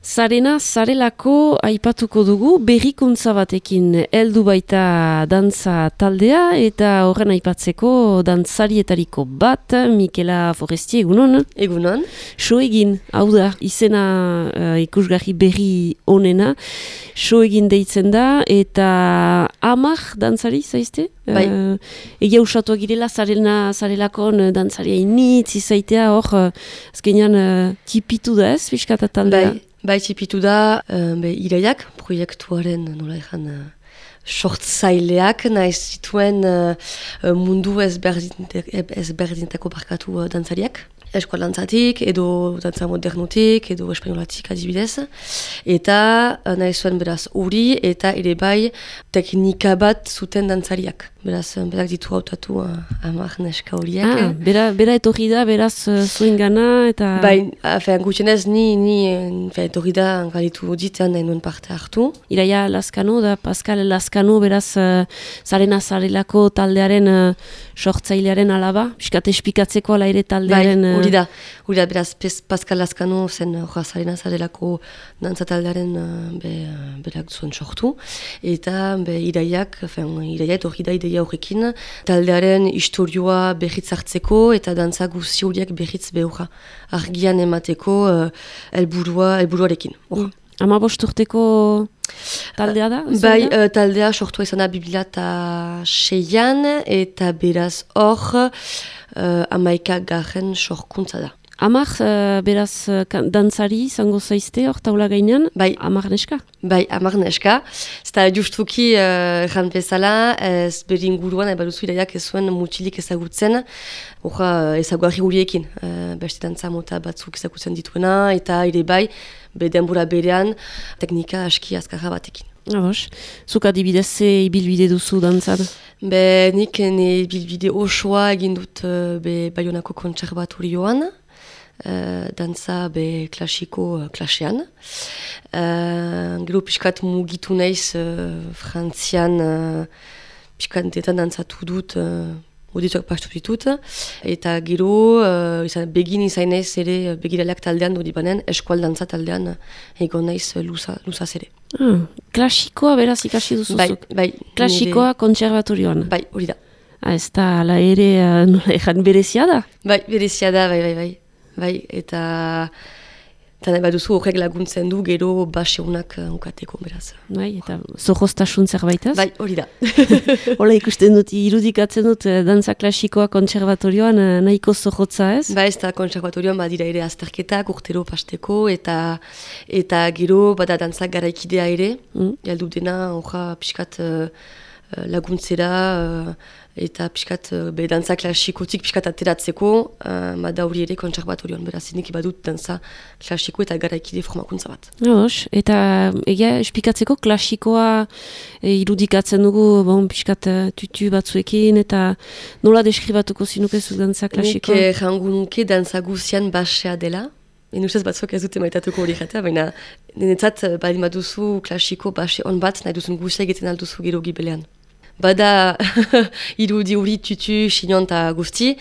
Zarena, zarelako aipatuko dugu, berrikuntza batekin heldu baita dantza taldea, eta horren aipatzeko dantzarietariko bat, Mikela Forestier, egunon? Egunon. So egin, hau da, izena ikusgarri berri onena, so egin deitzen da, eta amak dantzari, zaizte? Bai. Egia usatuak girela, zarelakon dantzaria initz, izaitea hor, azkenean tipitu da ez, fiskata taldea? Bai, tipitu da, iraiak, proiektuaren, nola ezan, sortzaileak, nahiz zituen mundu ezberdintako barkatu dantzariak. Eskola dantzatik, edo dantza modernotik, edo espainolatik adibidez. Eta nahi zuen beraz hori, eta ere bai teknika bat zuten dantzariak. Beraz, berak ditu hautatu amak neska horiek. Bera etorri da, beraz zuen gana, eta... Bai, gutxenez, ni etorri da galitu ditean nahi nuen parte hartu. Iraia Lazkano da, Pascal Lazkano, beraz zarelako taldearen sortzailearen alaba, piskat espikatzeko ala ere taldearen... Bai, hori da, beraz, Pascal Lazkano zen zarelako dantza taldearen berak zuen sortu. Eta iraia etorri da ideia horrekin, taldearen istorioa berriz hartzeko eta dantza guzi horiek berriz behura argian emateko helburuarekin. 15 urteko taldea da? Bai, taldea sortua izan da 2006an eta beraz hor 11. sorkuntza da. Amak, beraz, dantzari izango zaizte hor taula gainean? Bai. Amak neska? Bai, amak neska. Zeta justuki erran bezala, ez beringuruan, baduzu iraiak ez zuen mutilik ezagutzen, ezaguarri guriekin. Beste dantza mota batzuk ezagutzen dituena, eta ere bai, denbora berean, teknika aski azkarra batekin. Abos, zuk adibidez ze ibilbide duzu dantzan? Nik ibilbide osoa egin dut Baionako kontserbatorioan, dantza klasiko klasean. Gero pixkat mugitu naiz Frantzian pixkatetan dantzatu dut, audituak partu ditut. Eta gero begin izan naiz ere begiraleak taldean dut banen, eskual dantza taldean egon naiz luzaz ere. Klasikoa beraz ikasi duzuzuk? Bai. Klasikoa kontserbatorioan? Bai, hori da. Ez da, ala ere, nola ezan berezia da? Bai, berezia da, bai, eta nahi baduzu horrek laguntzen du gero baseunak ukateko beraz. Bai, eta zorroztasun zerbaitaz? Bai, hori da. Hola ikusten dut, irudikatzen dut, dantza klasikoa kontserbatorioan nahiko zorrotza ez? Ba ez da kontserbatorioan badira ere azterketak urtero pasteko eta gero bada dantza garaikidea ere, jaldu dena horra pixkat laguntzera eta pixkat dantza klasikotik pixkat ateratzeko bada hori ere kontserbatorioan, beraz nik badut dantza klasiko eta garaikide formakuntza bat. Eta egia espikatzeko klasikoa irudikatzen dugu pixkat tutu batzuekin eta nola deskribatuko zinukezu dantza klasikoa? Nik jangu nuke dantza guzian basea dela. Ustez batzuk ez dute maitatuko hori jatea, baina niretzat badin baduzu klasiko base on bat, nahi duzun guzia egiten alduzu gero gibelean. Bada irudi hori tutu, xinion eta guzti,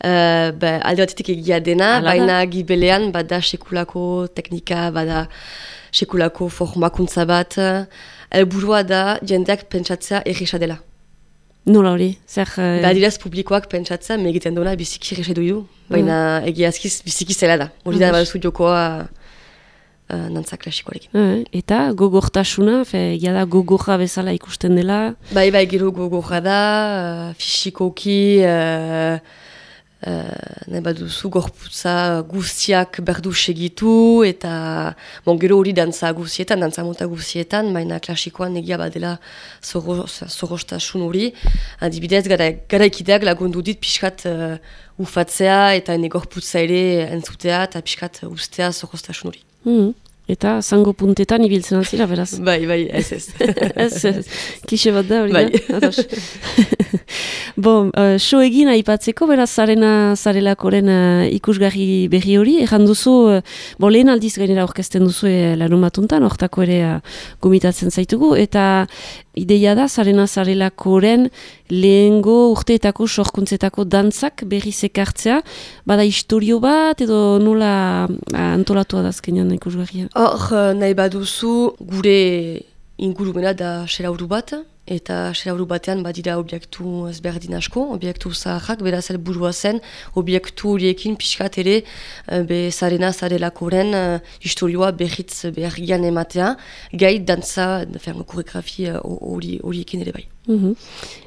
alde batetik egia dena, baina gibelean bada sekulako teknika, bada sekulako formakuntza bat, helburua da jendeak pentsatzea erresa dela. Nola hori? Badirez publikoak pentsatzea, megiten duena biziki erresa du, baina egiazkiz biziki zela da. Hori da baduzu jokoa dantza klasikoarekin. Eta gogortasuna, da gogorra bezala ikusten dela? Bai, gero gogorra da, fisikoki, nahi baduzu gorputza guztiak berdu segitu, eta gero hori dantza guztietan, dantza mota guztietan, baina klasikoan egia badela zorrostasun hori. Adibidez, garaikideak lagundu dit pixkat ufatzea eta ene gorputza ere entzutea eta pixkat ustea zorrostasun hori. Eta zango puntetan ibiltzen altzira, beraz? Bai, ez. Ez, klixe bat da hori da? Bai. So egin aipatzeko, beraz, zarelakoren ikusgarri berri hori, erran duzu, lehen aldiz gainera orkesten duzu larun batuntan, hortako ere gomitatzen zaitugu, eta ideia da, zarelakoren lehengo urteetako sorkuntzetako dantzak berriz ekartzea, bada historio bat, edo nola antolatua da azkenean ikusgarria? Hor, nahi baduzu, gure ingurumena da selauru bat, eta selauru batean badira obiektu ezberdin asko, obiektu zaharrak, beraz helburua zen, obiektu horiekin pixkat ere, zarena zarelakoren historioa behitz behargian ematea, gai dantza, koreografi horiekin ere bai.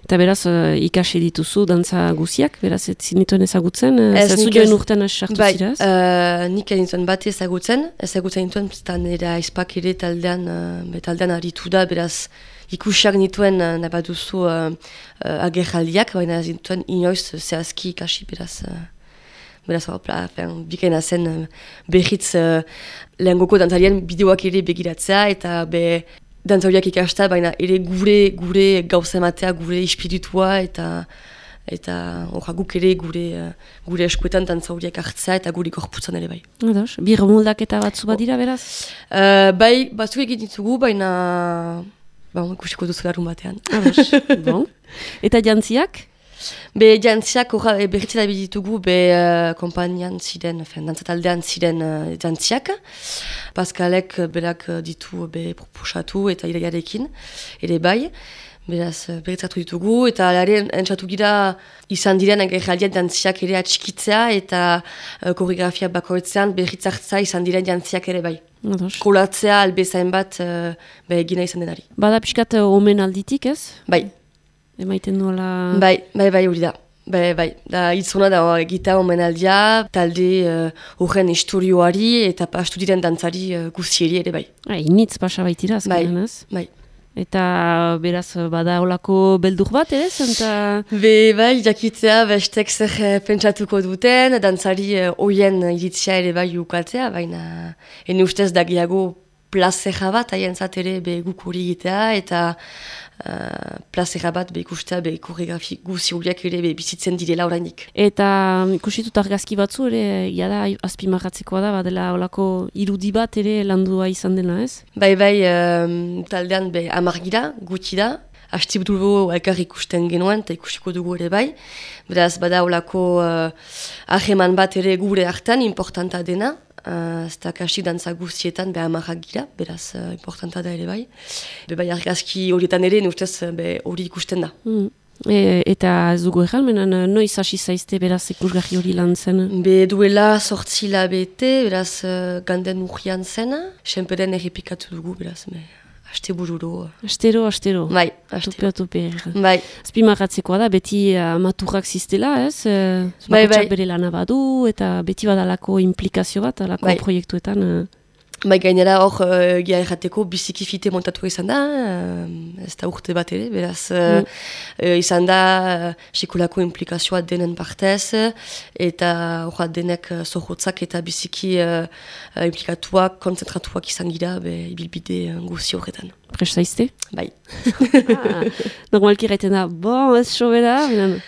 Eta beraz, ikasi dituzu dantza guziak, beraz, ez zinituen ezagutzen? Zazu joan urtean sartu ziraz? Bai, nik enituen bat ezagutzen nituen, eta nire aizpak ere taldean aritu da, beraz, ikusiak nituen nahi baduzu agerraldiak, baina ez nituen inoiz zehazki ikasi, beraz, bikaina zen behitz lehengoko dantzarien bideoak ere begiratzea, eta dantzariak ikasta, baina ere gure gauza ematea, gure espiritua, eta guk ere gure eskuetan dantzariak hartzea, eta gure gorputzan ere bai. Ados, bir moldaketa batzu badira, beraz? Bai, batzuk egin ditugu, baina ikusiko duzu larun batean. Ados, bon. Eta jantziak? Jantziak berritzen da ditugu, kompainian ziren, dantzataldean ziren jantziak. Pascalek berak ditu proposatu eta iraiarekin, ere bai. Beraz, berritzatu ditugu, eta alaren entzatu gira izan diren agerraldian jantziak ere atxikitzea, eta koreografia bakoitzean berritzartza izan diren jantziak ere bai. Ados. Kolatzea albezain bat egina izan denari. Bada pixkat omen alditik, ez? Bai. Emaiten duela... Bai, hori da. Bai, da hitzuna da egita omenaldia, talde horren historioari eta pastu diren dantzari guzieri ere bai. Initz pasa baitira, azkenan, ez? Bai. Eta beraz, bada olako beldur bat, ere? Bai, jakitzea, bestek zer pentsatuko duten, dantzari oien iritzia ere bai ukatzea, baina ene ustez dagiago plazera bat, haien zatere guk hori egitea, eta plazera bat ikustea koreografi guzi horiak ere bizitzen direla orainik. Eta ikusitut argazki batzu ere, jada azpimarratzekoa da, badela olako irudi bat ere landua izan dena, ez? Bai, taldean amargira, gutxi da, hastiburu elkar ikusten genuen, eta ikusiko dugu ere bai. Beraz, bada olako aheman bat ere gure hartan, importanta dena, ez da kasik dantza guztietan amarrak gira, beraz importanta da ere bai. Bai argazki horietan ere, nustez hori ikusten da. Eta ez dugu egalmenan, noiz hasi zaizte beraz ikusgarri hori lan zen? Duela 8 hilabete, beraz ganden urrian zen, senperen errepikatu dugu, beraz, aste bururo. Astero. Bai, aste. Tupe. Bai. Azpimarratzekoa da, beti maturrak ziztela, ez? Bai. Bere lana badu, eta beti badalako implikazio bat, alako proiektuetan. Bai, gainera hor, errateko biziki fite montatu izan da, ez da urte bat ere, beraz, izan da sekulako implikazioa denen partez, eta hor denek zohotzak eta biziki implikatuak, konzentratuak izan gira, ibilbide guzi horretan. Prest zaizte? Bai. Normalki gaiten da, ez sobera,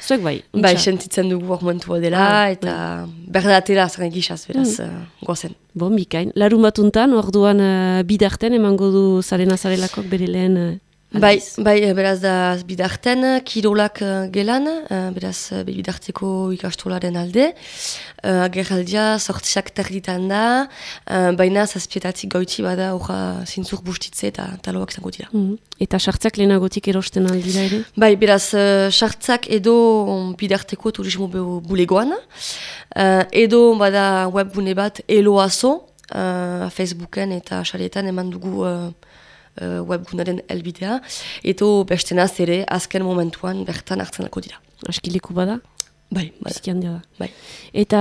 zuek bai. Bai, sentitzen dugu hor momentua dela, eta berdatela zaren gizaz, beraz, gozen. Bikain. Larun batuntan, orduan bidarten emango du zarelakok bere lehen aldiz? Bai, beraz da bidarten, kirolak gelan, beraz bidarteko ikastolaren alde. Agerraldia sortziak terditan da, baina zazpietatik goitzi bada horra zintzur bustitze eta taloak zango dira. Eta sartzak lehenagotik erosten aldira ere? Bai, beraz, sartzak edo bidarteko turismo bulegoan, edo bada webgune bat eloazo, Facebooken eta xaretan eman dugu webgunaren elbidea, eta bestenaz ere azken momentuan bertan hartzen alko dira. Askileku bada? Bai, biziki handia da. Bai. Eta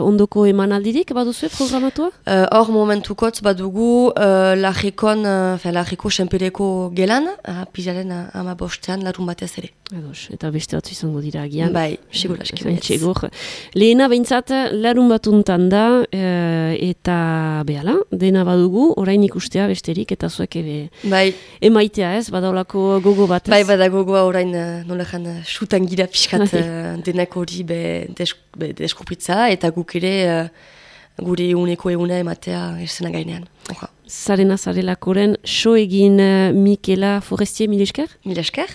ondoko emanaldirik baduzue programatua? Hor momentukotz badugu Larriko senpereko gelan, pizaren 15 larun batez ere. Eta beste batzu izango dira agian. Bai, segur aski. Lehena behintzat larun batuntan da, eta behala, dena badugu, orain ikustea besterik, eta zuek emaitea ez, badaulako gogo bat ez? Bai, badagogoa orain nolean sutan gira pixkat denak hori deskupritza, eta guk ere gure eguneko eguna ematea esena gainean. Zarena zarelakoren, so egin Mikela Forestier, mil esker? Mil esker.